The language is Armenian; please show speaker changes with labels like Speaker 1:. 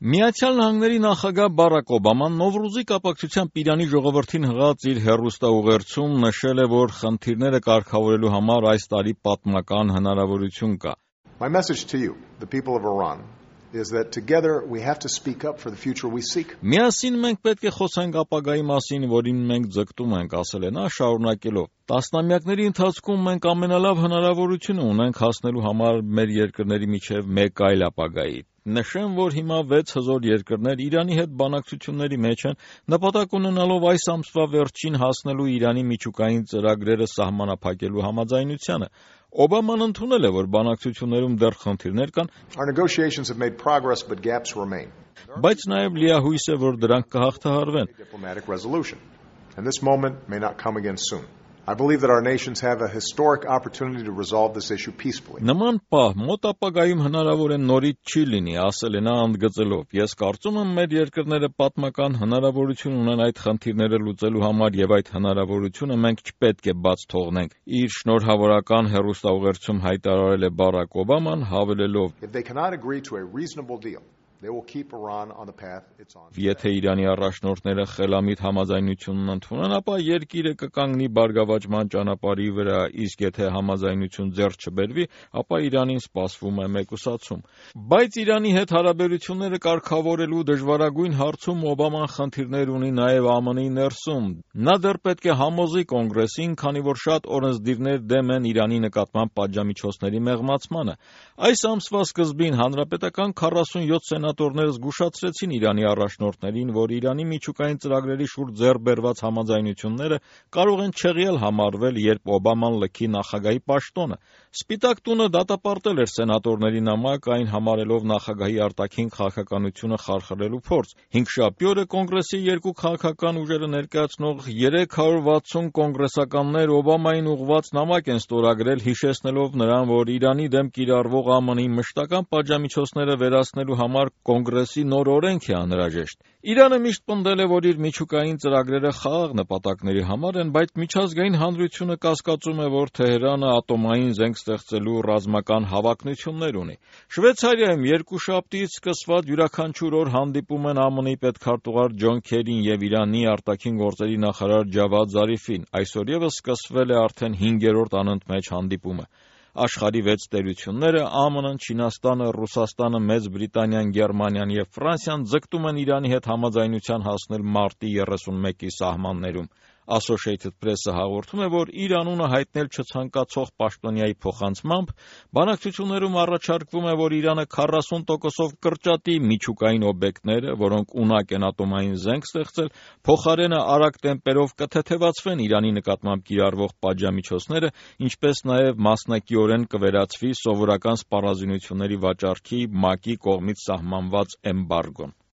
Speaker 1: Միացյալ Նահանգների նախագահ Բարակ Օբաման Նովրուզի կապակցությամբ Իրանի ժողովրդին հղած իր հեռուստաուղերձում նշել է, որ խնդիրները կարգավորելու համար այս տարի պատմական հնարավորություն կա.
Speaker 2: My message to you, the people of Iran, is that together we have to speak up for the future we seek.
Speaker 1: Միասին մենք պետք է խոսենք ապագայի մասին, որին մենք ձգտում ենք, ասել է նա, շարունակելով. Տասնամյակների ընթացքում մենք ամենալավ հնարավորությունը ունենք հասնելու համար մեր երկրների միջև մեկ այլ ապագայի։ Նշեմ, որ հիմա 6 հզոր երկրներ Իրանի հետ բանակցությունների մեջ են, նպատակ ունենալով այս ամսվա վերջին հասնելու Իրանի միջուկային ծրագրերը սահմանափակելու համաձայնությանը։ Օբաման ընդունել է, որ բանակցություններում դեռ խնդիրներ կան,
Speaker 2: Our negotiations have made progress, but gaps remain.
Speaker 1: բայց նաև լիահույս է, որ դրանք կհաղթահարվեն։
Speaker 2: Diplomatic resolution, and this moment may not come again soon. I believe that our nations have a historic opportunity to resolve this issue peacefully.
Speaker 1: Նման պահ մոտ ապագայում հնարավոր է նորից չի լինի, ասել է նա ընդգծելով. Ես կարծում եմ մեր երկրները պատմական հնարավորություն ունեն այդ խնդիրները լուծելու համար եւ այդ հնարավորությունը մենք չպետք է բաց թողնենք։ Իր շնորհավորական հեռուստաուղերձում հայտարարել է Բարակ Օբաման, հավելելով.
Speaker 2: If they cannot agree to a reasonable deal, they will keep Iran on the path it's on.
Speaker 1: Եթե Իրանի առաջնորդները խելամիտ համաձայնությունն ընդունեն, ապա երկիրը կկանգնի բարգավաճման ճանապարհի վրա, իսկ եթե համաձայնություն ձեռք չբերվի, ապա Իրանին սպասվում է մեկուսացում։ Բայց Իրանի հետ հարաբերությունները կարգավորելու դժվարագույն հարցում Օբաման խնդիրներ ունի նաև ԱՄՆ-ի ներսում։ Նա դեռ պետք է համոզի կոնգրեսին, քանի որ շատ օրենսդիրներ դեմ են Իրանի նկատմամբ պատժամիջոցների մեղմացմանը։ Այս ամսվա սկզբին հանրապետական 47 սենատորներ զգուշացրեցին Իրանի առաջնորդներին, որ Իրանի միջուկային ծրագրերի շուրջ ձեռք բերված համաձայնությունները կարող են չեղյալ համարվել, երբ Օբաման լքի նախագահի պաշտոնը։ Սպիտակ տունը դատապարտել էր սենատորների նամակ, այն համարելով նախագահի արտաքին քաղաքականությունը խարխլելու փորձ։ Հինգշաբթի օրը կոնգրեսի երկու քաղաքական ուժերը ներկայացնող 360 կոնգրեսականներ Օբամային ուղղված նամակ են ստորագրել, հիշեցնելով նրան, որ Իրանի դեմ կիրառվող ԱՄՆ-ի մշտական պատժամիջոցները վերացնելու համար կոնգրեսի նոր օրենք է անհրաժեշտ։ Իրանը միշտ պնդել է, որ իր միջուկային ծրագրերը խաղաղ նպատակների համար են, բայց միջազգային հանրությունը կասկածում է, որ Թեհրանը ատոմային զենք ստեղծելու ռազմական հավակնություններ ունի։ Շվեյցարիայում երկուշաբթիից սկսված յուրաքանչյուր օր հանդիպում են ԱՄՆ-ի պետքարտուղար Ջոն Քերին եւ Իրանի արտաքին գործերի նախարար Ջավադ Զարիֆին։ Այսօր եւս սկսվել է արդեն 5-րդ անընդմեջ հանդիպումը։ Աշխարհի 6 տերությունները՝ ԱՄՆ-ն, Չինաստանը, Ռուսաստանը, Մեծ Բրիտանիան, Գերմանիան եւ Ֆրանսիան ձգտում են Իրանի հետ համաձայնության հասնել մարտի 31-ի սահմաններում։ Associated Press-ը հաղորդում է, որ իր անունը հայտնել չցանկացող պաշտոնյայի փոխանցմամբ բանակցություններում առաջարկվում է, որ Իրանը 40%-ով կրճատի միջուկային օբյեկտները, որոնք ունակ են ատոմային զենք ստեղծել, փոխարենը արագ տեմպերով կթեթևացվեն Իրանի նկատմամբ կիրառվող պատժամիջոցները, ինչպես նաև մասնակիորեն կվերացվի սովորական սպառազինությունների վաճառքի ՄԱԿ-ի կողմից սահմանված էմբարգոն։